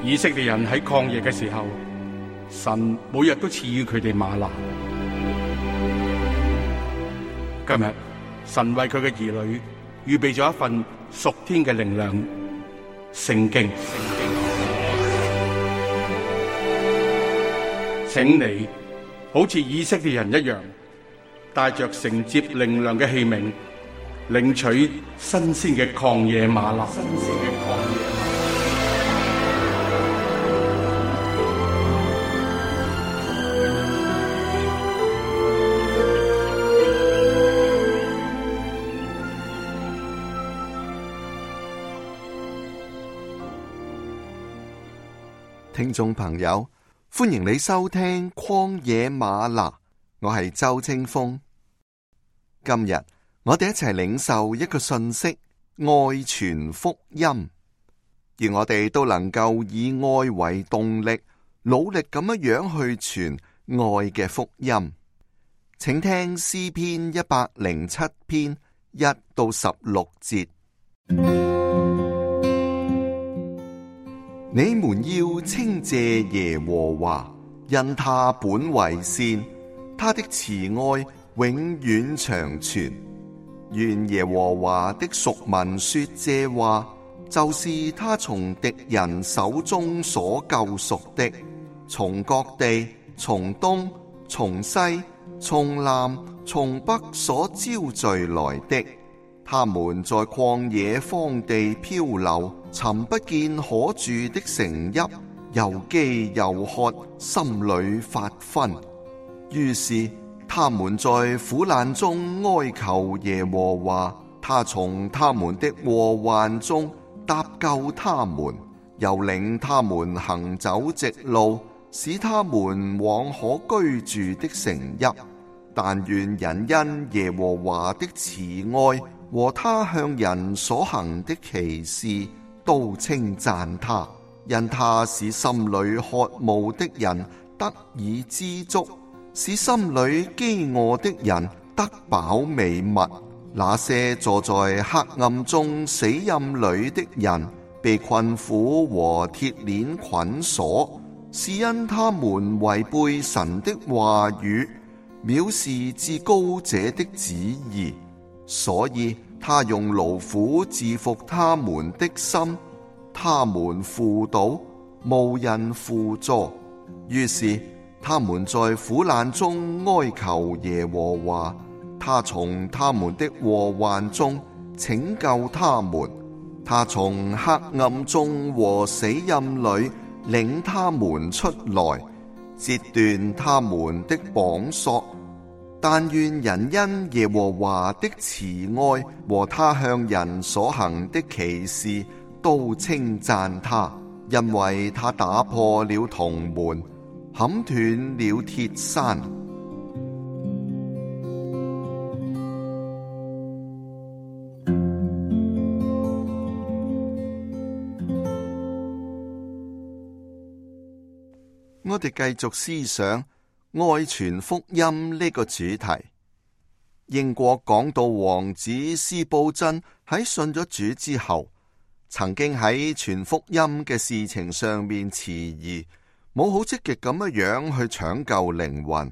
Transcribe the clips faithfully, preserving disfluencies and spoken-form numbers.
以色列人喺曠野嘅時候，神每日都賜予佢哋嗎哪。今日神為佢嘅兒女預備咗一份屬天嘅靈糧——聖經。請你好似以色列人一樣，帶着承接靈糧嘅器皿，領取新鮮嘅曠野嗎哪。新鮮嘅曠野嗎哪。聽眾朋友，歡迎你收聽曠野嗎哪，我係周清風。今日我哋一齊領受一個訊息：愛傳福音，而我哋都能夠以愛為動力，努力咁樣樣去傳愛嘅福音。請聽詩篇一百零七篇一到十六節。你們要稱謝耶和華，因他本為善，他的慈愛永遠長存。願耶和華的屬民說這話，就是他從敵人手中所救贖的，從各地、從東、從西、從南、從北所招聚來的。他們在曠野荒地漂流，尋不見可住的城邑，又飢又渴，心裏發昏。於是他們在苦難中哀求耶和華，他從他們的禍患中搭救他們，又領他們行走直路，使他們往可居住的城邑。但願人因耶和華的慈愛和他向人所行的奇事都稱讚他，因他使心裏渴慕的人得以知足，使心裏飢餓的人得飽美物。那些坐在黑暗中死蔭裏的人，被困苦和鐵鏈捆鎖，是因他們違背神的話語，藐視至高者的旨意。所以他用勞苦治服他們的心，他們扶倒，無人扶助。於是他們在苦難中哀求耶和華，他從他們的禍患中拯救他們，他從黑暗中和死蔭裏領他們出來，截斷他們的綁索。但願人因耶和華的慈愛和他向人所行的奇事都稱讚他，因為他打破了銅門，砍斷了鐵山。我哋繼續思想愛傳福音呢個主題。英國講道王子司布真喺信咗主之後，曾經喺傳福音嘅事情上面遲疑，冇好積極咁樣樣去搶救靈魂。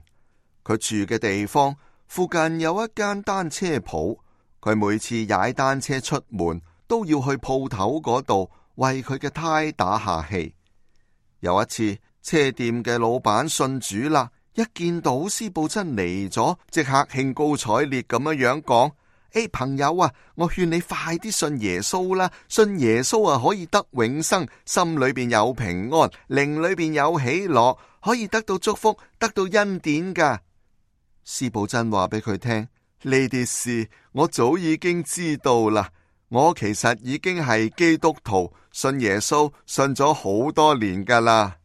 佢住嘅地方附近有一間單車鋪，佢每次踩單車出門都要去鋪頭嗰度為佢嘅胎打下氣。有一次，車店嘅老闆信主啦，一見到司布真嚟咗，即刻興高采烈咁樣樣講：誒，朋友啊，我勸你快啲信耶穌啦！信耶穌啊，可以得永生，心裏邊有平安，靈裏邊有喜樂，可以得到祝福，得到恩典噶。司布真話俾佢聽：呢啲事我早已經知道啦，我其實已經係基督徒，信耶穌信咗好多年噶啦。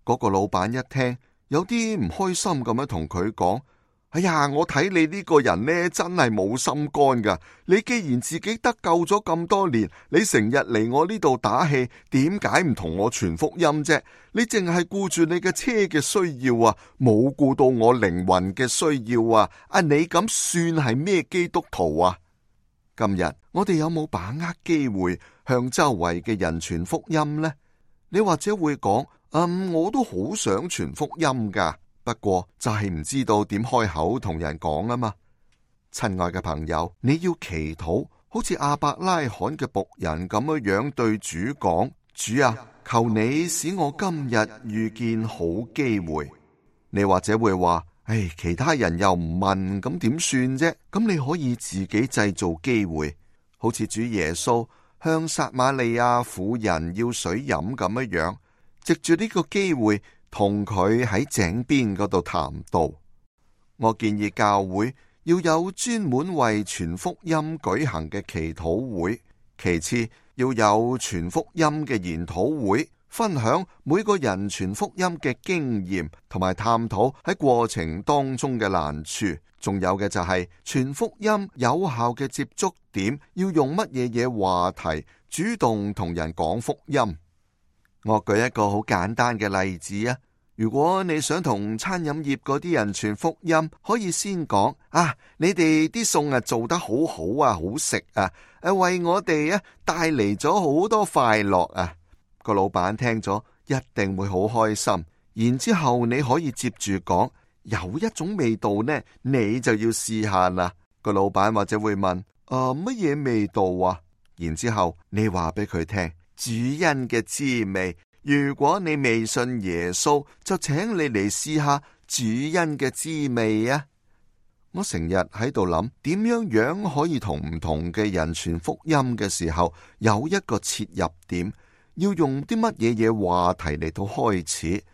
嗰個老闆一聽，有啲唔開心咁樣同佢講：哎呀，我睇你呢個人呢，真係冇心肝噶。你既然自己得救咗咁多年，你成日嚟我呢度打氣，點解唔同我傳福音啫？你淨係顧住你嘅車嘅需要啊，冇顧到我靈魂嘅需要啊！啊，你咁算係咩基督徒啊？今日我哋有冇把握機會向周圍嘅人傳福音呢？你或者會講，嗯，我都好想傳福音噶，不過就係唔知道點開口同人講啊嘛。親愛嘅朋友，你要祈禱，好似亞伯拉罕嘅僕人咁樣樣對主講：主啊，求你使我今日遇見好機會。你或者會話：唉，其他人又唔問，咁點算啫？咁你可以自己製造機會，好似主耶穌向撒瑪利亞婦人要水飲咁樣樣，藉住呢個機會同佢喺井邊嗰度談道。我建議教會要有專門為傳福音舉行嘅祈禱會，其次要有傳福音嘅研討會，分享每個人傳福音嘅經驗，同埋探討喺過程當中嘅難處。仲有嘅就係傳福音有效嘅接觸點，要用乜嘢嘢話題主動同人講福音。我舉一個好簡單嘅例子啊！如果你想同餐飲業嗰啲人傳福音，可以先講啊，你哋啲餸啊做得好好啊，好食啊，誒為我哋啊帶嚟咗好多快樂啊！個老闆聽咗一定會好開心。然之後你可以接住講，有一種味道呢，你就要試下啦。個老闆或者會問：啊，乜嘢味道啊？然之後你話俾佢聽主恩嘅滋味。如果你未信耶穌，就請你嚟試下主恩嘅滋味啊！我成日喺度諗，點樣樣可以同唔同嘅人傳福音嘅時候有一個切入點，要用啲乜嘢嘢話題嚟到開始。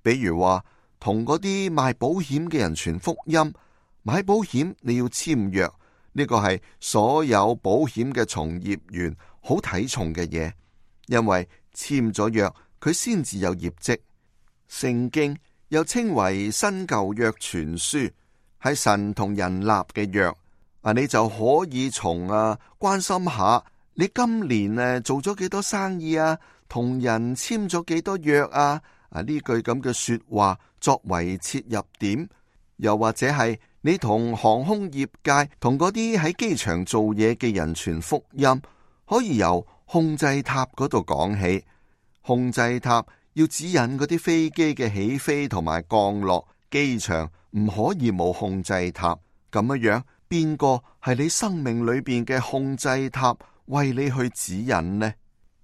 比如話同嗰啲賣保險嘅人傳福音，買保險你要簽約，呢個係所有保險嘅從業員好睇重嘅嘢，因為簽咗約，佢先至有業績。聖經又稱為新舊約傳書，係神同人立嘅約。啊，你就可以從啊關心下你今年誒做咗幾多生意啊，同人簽咗幾多約啊。啊，呢句咁嘅說話作為切入點，又或者係你同航空業界同嗰啲喺機場做嘢嘅人傳福音，可以由控制塔嗰度講起。控制塔要指引嗰啲飛機嘅起飛同埋降落，機場唔可以冇控制塔。咁樣樣，邊個係你生命裏邊嘅控制塔，為你去指引呢？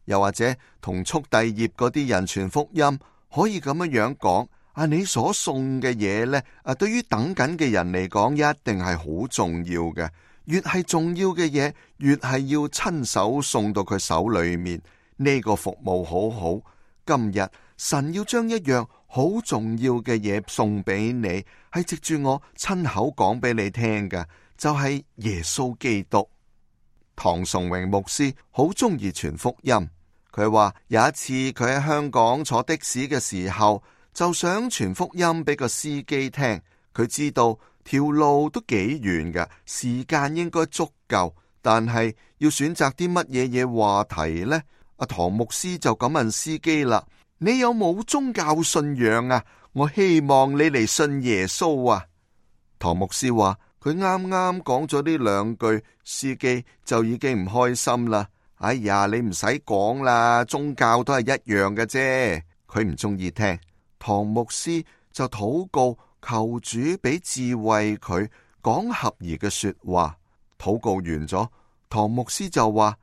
又或者同速遞業嗰啲人傳福音，可以咁樣樣講：啊，你所送嘅嘢呢，啊，對於等緊嘅人嚟講，一定係好重要嘅。越係重要嘅嘢，越係要親手送到佢手裏面。呢個服務好好。今日神要將一樣好重要嘅嘢送俾你，係藉住我親口講俾你聽嘅，就係耶穌基督。唐崇榮牧師好中意傳福音，佢話有一次佢喺香港坐的士嘅時候，就想傳福音俾個司機聽。佢知道條路都幾遠嘅，時間應該足夠，但係要選擇啲乜嘢嘢話題呢？阿唐牧師就咁問司機啦：你有冇宗教信仰啊？我希望你嚟信耶穌啊！唐牧師話佢啱啱講咗呢兩句，司機就已經唔開心啦。哎呀，你唔使講啦，宗教都係一樣嘅啫。佢唔中意聽。唐牧師就禱告求主俾智慧佢講合宜嘅說話。禱告完咗，唐牧師就話：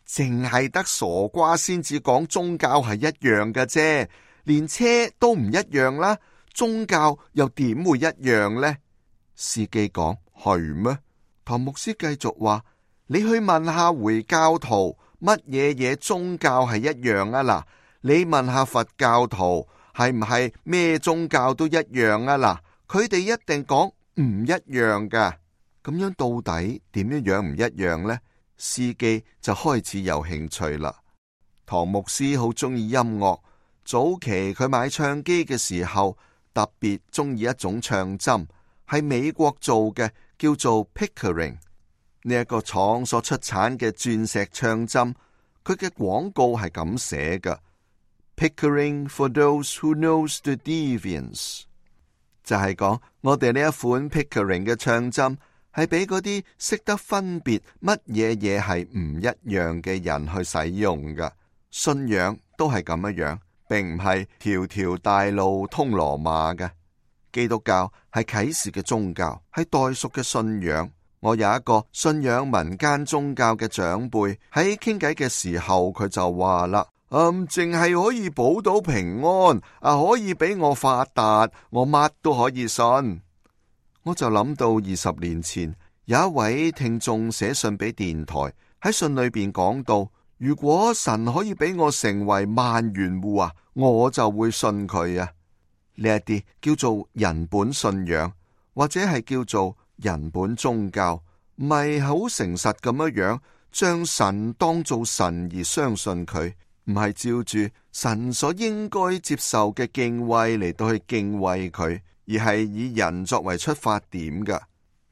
淨係得傻瓜先至講宗教係一樣嘅啫，連車都唔一樣啦，宗教又點會一樣呢？司機講：係咩？唐牧師繼續話：你去問下回教徒乜嘢嘢宗教係一樣啊？嗱，你問下佛教徒係唔係咩宗教都一樣啊？嗱，佢哋一定講唔一樣噶。咁樣到底點樣樣唔一樣呢？司機就開始有興趣啦。唐牧師好中意音樂，早期佢買唱機嘅時候，特別中意一種唱針，係美國做嘅，叫做 Pickering。呢一個廠所出產嘅鑽石唱針，佢嘅廣告係咁寫嘅：Pickering for those who knows the difference， 就係講我哋呢一款 Pickering 嘅唱針係俾嗰啲識得分別乜嘢嘢係唔一樣嘅人去使用噶。信仰都係咁樣樣，並唔係條條大路通羅馬嘅。基督教係啟示嘅宗教，係代贖嘅信仰。我有一個信仰民間宗教嘅長輩，喺傾偈嘅時候，佢就話啦：嗯，淨係可以保到平安，啊，可以俾我發達，我乜都可以信。我就諗到二十年前有一位聽眾寫信俾電台，喺信裏邊講到，如果神可以俾我成為萬元戶啊，我就會信佢啊。呢一啲叫做人本信仰，或者係叫做人本宗教，唔係好誠實咁樣樣，將神當做神而相信佢，唔係照住神所應該接受嘅敬畏嚟到去敬畏佢，而係以人作為出發點嘅。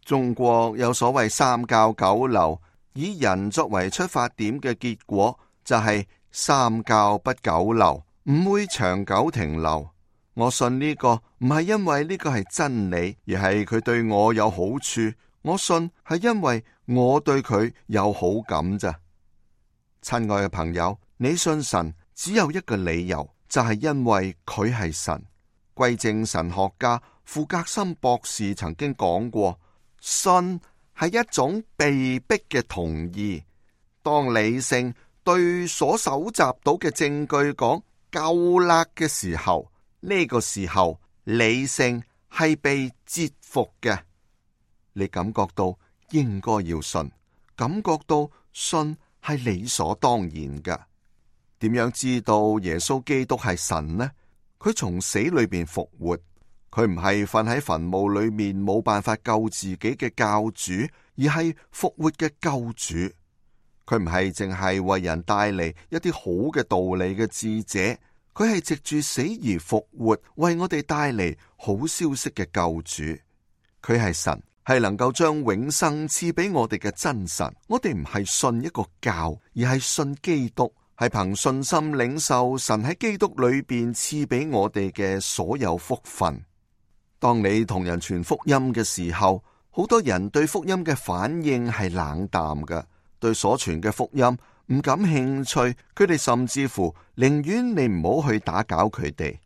中國有所謂三教九流，以人作為出發點嘅結果就係三教不久留，唔會長久停留。我信呢個唔係因為呢個係真理，而係佢對我有好處。我信係因為我對佢有好感咋。親愛嘅朋友，你信神只有一個理由，就係因為佢係神。歸正神學家傅格森博士曾經講過，信係一種被逼嘅同意。當理性對所搜集到嘅證據講夠啦嘅時候，呢個時候理性係被折服嘅。你感覺到應該要信，感覺到信係理所當然嘅。點樣知道耶穌基督係神呢？佢從死裏邊復活，佢唔係瞓喺墳墓裏面冇辦法救自己嘅教主，而係復活嘅救主。佢唔係淨係為人帶嚟一啲好嘅道理嘅智者，佢係藉住死而復活，為我哋帶嚟好消息嘅救主。佢係神，係能夠將永生賜俾我哋嘅真神。我哋唔係信一個教，而係信基督，係憑信心領受神喺基督裏邊賜俾我哋嘅所有福分。當你同人傳福音嘅時候，好多人對福音嘅反應係冷淡嘅，對所傳嘅福音唔感興趣，佢哋甚至乎寧願你唔好去打攪佢哋。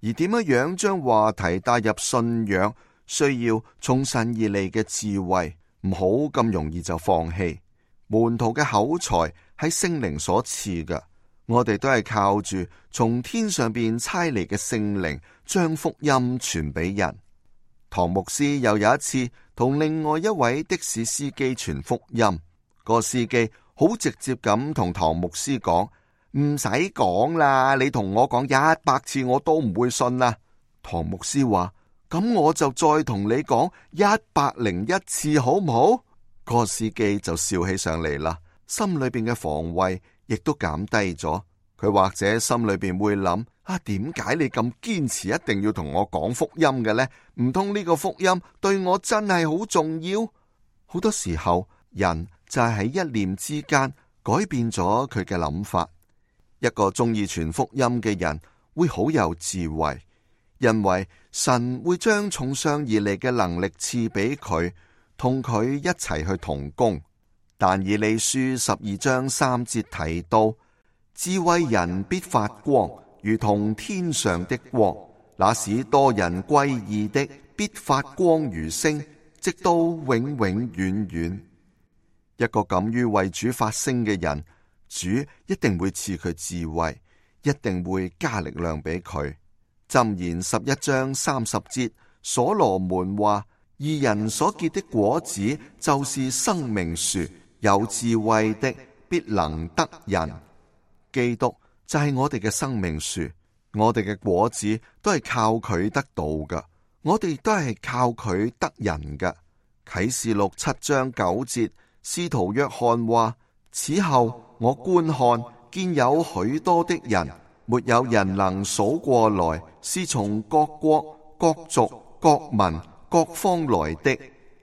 而點樣樣將話題帶入信仰，需要從神而嚟嘅智慧，唔好咁容易就放棄。門徒嘅口才係聖靈所賜嘅，我哋都係靠住從天上邊差嚟嘅聖靈，將福音傳俾人。唐牧師又有一次同另外一位的士司機傳福音，個司機好直接咁同唐牧師講：唔使講啦，你同我講一百次我都唔會信啦。唐牧師話：咁我就再同你講一百零一次好唔好？個司機就笑起上嚟啦，心裏邊嘅防衛亦都減低咗。佢或者心裏邊會諗：啊，點解你咁堅持一定要同我講福音嘅呢？唔通呢個福音對我真係好重要？好多時候人就係喺一念之間改變咗佢嘅諗法。一個中意傳福音嘅人會好有智慧，因為神會將從上而嚟嘅能力賜俾佢，同佢一齊去同工。但以理書十二章三節提到，智慧人必發光，如同天上的光，那使多人歸義的必發光如星，直到永永遠遠。一個敢於為主發聲嘅人，主一定會賜佢智慧，一定會加力量俾佢。箴言十一章三十節，所羅門話：義人所結的果子就是生命樹，有智慧的必能得人。基督就係我哋嘅生命樹，我哋嘅果子都係靠佢得到嘅，我哋都係靠佢得人嘅。啟示錄七章九節，使徒約翰話：此後我觀看，見有許多的人，沒有人能數過來，是從各國、各族、各民、各方來的，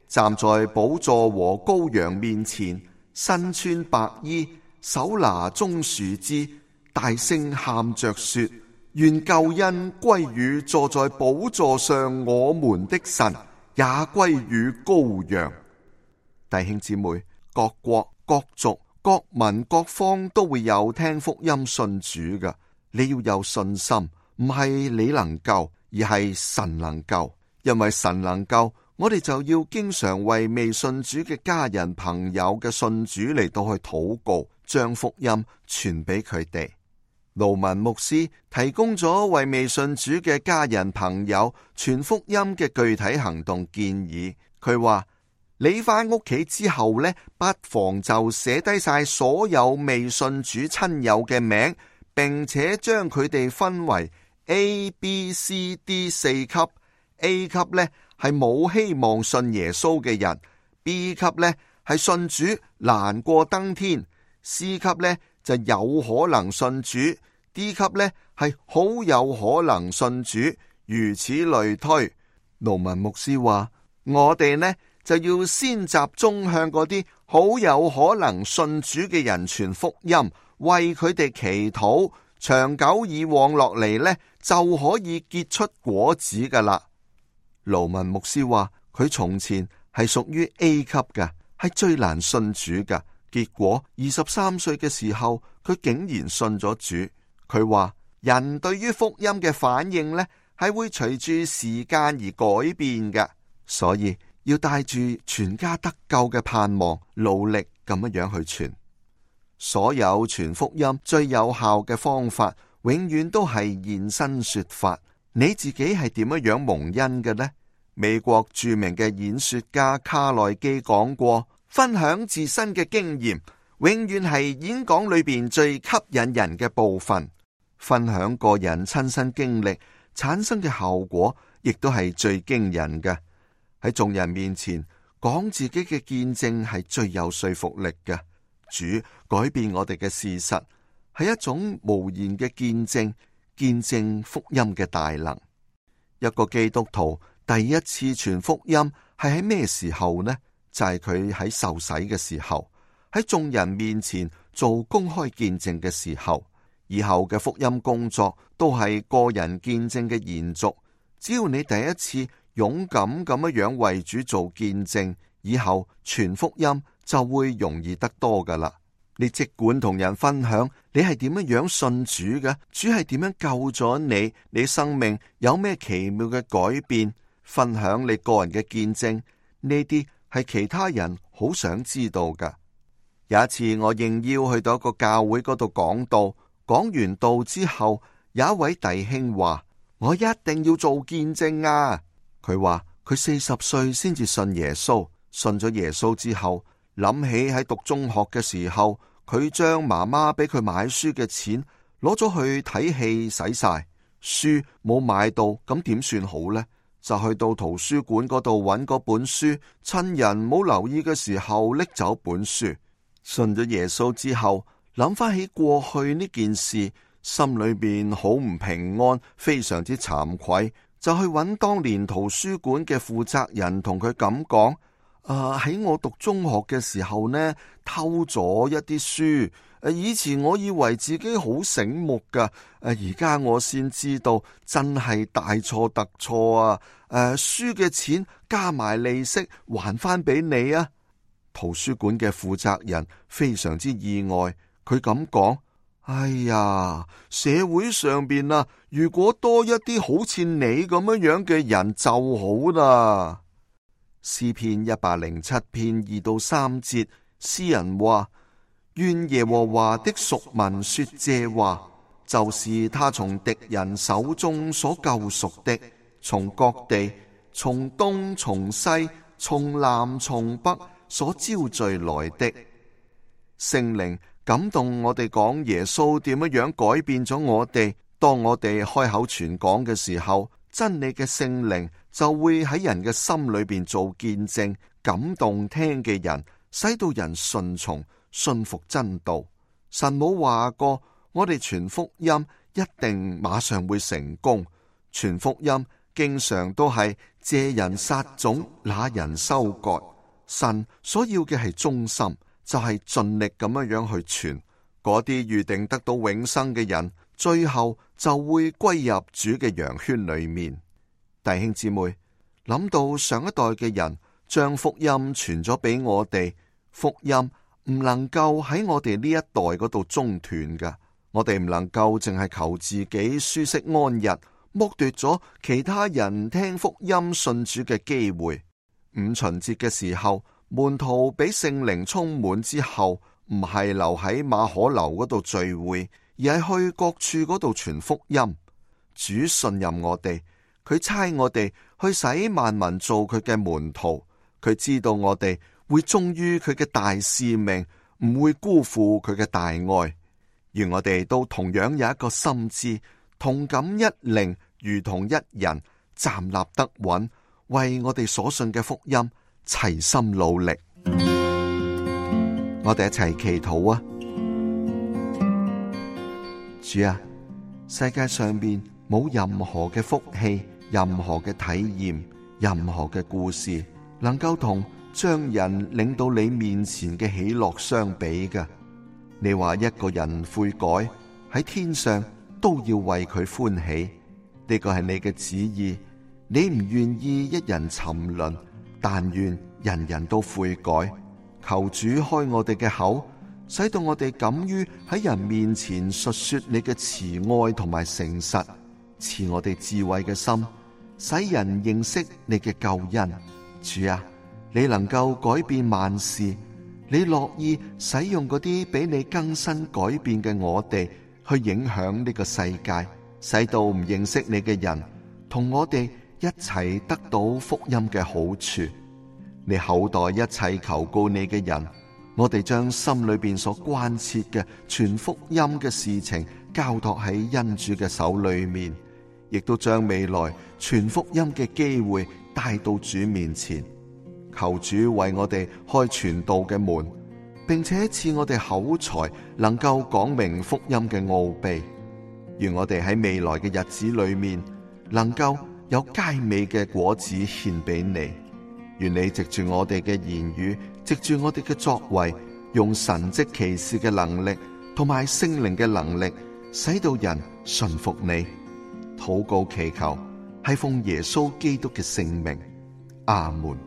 站在寶座和羔羊面前，身穿白衣，手拿棕樹枝，大聲喊着說：願救恩歸於坐在寶座上我們的神，也歸於羔羊。弟兄姊妹，各國、各族、各民、各方都會有聽福音信主嘅，你要有信心，唔係你能夠，而係神能夠。因為神能夠，我哋就要經常為未信主嘅家人朋友嘅信主嚟到去禱告，將福音傳俾佢哋。盧文牧師提供咗為未信主嘅家人朋友傳福音嘅具體行動建議。佢話：你返屋企之後呢，不妨就寫低晒所有未信主親友嘅名，並且將佢哋分為 A、B、C、D 四級。A 級呢係冇希望信耶穌嘅人， B 級呢係信主難過登天， C 級呢就有可能信主， D 級呢係好有可能信主，如此類推。盧文牧師話：我哋呢就要先集中向嗰啲好有可能信主嘅人傳福音，為佢哋祈禱，長久以往落嚟呢就可以結出果子噶啦。盧文牧師話：佢從前係屬於 A 級嘅，係最難信主嘅。結果二十三歲嘅時候，佢竟然信咗主。佢話人對於福音嘅反應呢，係會隨住時間而改變嘅，所以要帶住全家得救嘅盼望，努力咁樣去傳。所有傳福音最有效嘅方法，永遠都係現身說法。你自己係點樣樣蒙恩嘅呢？美國著名嘅演說家卡內基講過，分享自身嘅經驗，永遠係演講裏邊最吸引人嘅部分。分享個人親身經歷產生嘅效果，亦都係最驚人嘅。喺眾人面前講自己嘅見證係最有說服力嘅。主改變我哋嘅事實，係一種無言嘅見證，見證福音嘅大能。一個基督徒第一次傳福音係喺咩時候呢？就係佢喺受洗嘅時候，喺眾人面前做公開見證嘅時候。以後嘅福音工作都係個人見證嘅延續。只要你第一次勇敢咁樣為主做見證，以後傳福音就會容易得多噶啦。你即管同人分享你係點樣樣信主嘅，主係點樣救咗你，你生命有咩奇妙嘅改變，分享你個人嘅見證，呢啲係其他人好想知道噶。有一次我應邀去到一個教會嗰度講道，講完道之後，有一位弟兄話：我一定要做見證啊！佢話佢四十歲先至信耶穌，信咗耶穌之後，諗起喺讀中學嘅時候，佢將媽媽俾佢買書嘅錢攞咗去睇戲使晒，書冇買到，咁點算好呢？就去到圖書館嗰度揾嗰本書，趁人冇留意嘅時候拎走本書。信咗耶穌之後，諗翻起過去呢件事，心裏邊好唔平安，非常之慚愧，就去揾當年圖書館嘅負責人，同佢咁講：啊，喺我讀中學嘅時候呢，偷咗一啲書。誒，以前我以為自己好醒目噶，誒，而家我先知道真係大錯特錯啊！誒，書嘅錢加埋利息還翻俾你啊！圖書館嘅負責人非常之意外。佢咁講：哎呀，社會上邊啊，如果多一啲好似你咁樣樣嘅人就好啦。詩篇一百零七篇二到三節，詩人話：願耶和華的贖民說這話，就是他從敵人手中所救贖的，從各地，從東從西，從南從北所招聚來的。聖靈感動我哋講耶穌點樣樣改變咗我哋。當我哋開口傳講嘅時候，真理嘅聖靈就會喺人嘅心裏邊做見證，感動聽嘅人，使到人順從信服真道。神冇話過我哋傳福音一定馬上會成功，傳福音經常都係借人撒種，那人收割。神所要嘅係忠心，就係盡力咁樣樣去傳。嗰啲預定得到永生嘅人，最後就會歸入主嘅羊圈裏面。弟兄姊妹，諗到上一代嘅人將福音傳咗俾我哋，福音唔能夠喺我哋呢一代嗰度中斷㗎。我哋唔能夠淨係求自己舒適安逸，剝奪咗其他人聽福音信主嘅機會。五旬節嘅時候，門徒俾聖靈充滿之後，唔係留喺馬可樓嗰度聚會，而係去各處嗰度傳福音。主信任我哋，佢差我哋去使萬民做佢嘅門徒。佢知道我哋會忠於佢嘅大使命，唔會辜負佢嘅大愛。而我哋都同樣有一個心志，同感一靈，如同一人，站立得穩，為我哋所信嘅福音齊心努力。我哋一齊祈禱啊！主啊，世界上面冇任何嘅福氣，任何嘅體驗，任何嘅故事，能夠同將人領到你面前嘅喜樂相比嘅。你話一個人悔改，喺天上都要為佢歡喜，呢個係你嘅旨意。你唔願意一人沉淪，但願人人都悔改。求主開我哋嘅口，使到我哋敢於喺人面前述說你嘅慈愛同埋誠實，賜我哋智慧嘅心，使人認識你嘅救恩。主啊，你能夠改變萬事，你樂意使用嗰啲俾你更新改變嘅我哋，去影響呢個世界，使到唔認識你嘅人同我哋一齊得到福音嘅好處。你厚待一切求告你嘅人，我哋將心裏邊所關切嘅傳福音嘅事情交託喺恩主嘅手裏面，亦都將未來傳福音嘅機會帶到主面前。求主為我哋開傳道嘅門，並且賜我哋口才，能夠講明福音嘅奧秘。願我哋喺未來嘅日子裏面，能夠有佳美嘅果子獻俾你。願你藉住我哋嘅言語，藉住我哋嘅作為，用神蹟奇事嘅能力同埋聖靈嘅能力，使到人順服你。禱告祈求，係奉耶穌基督嘅聖名。阿門。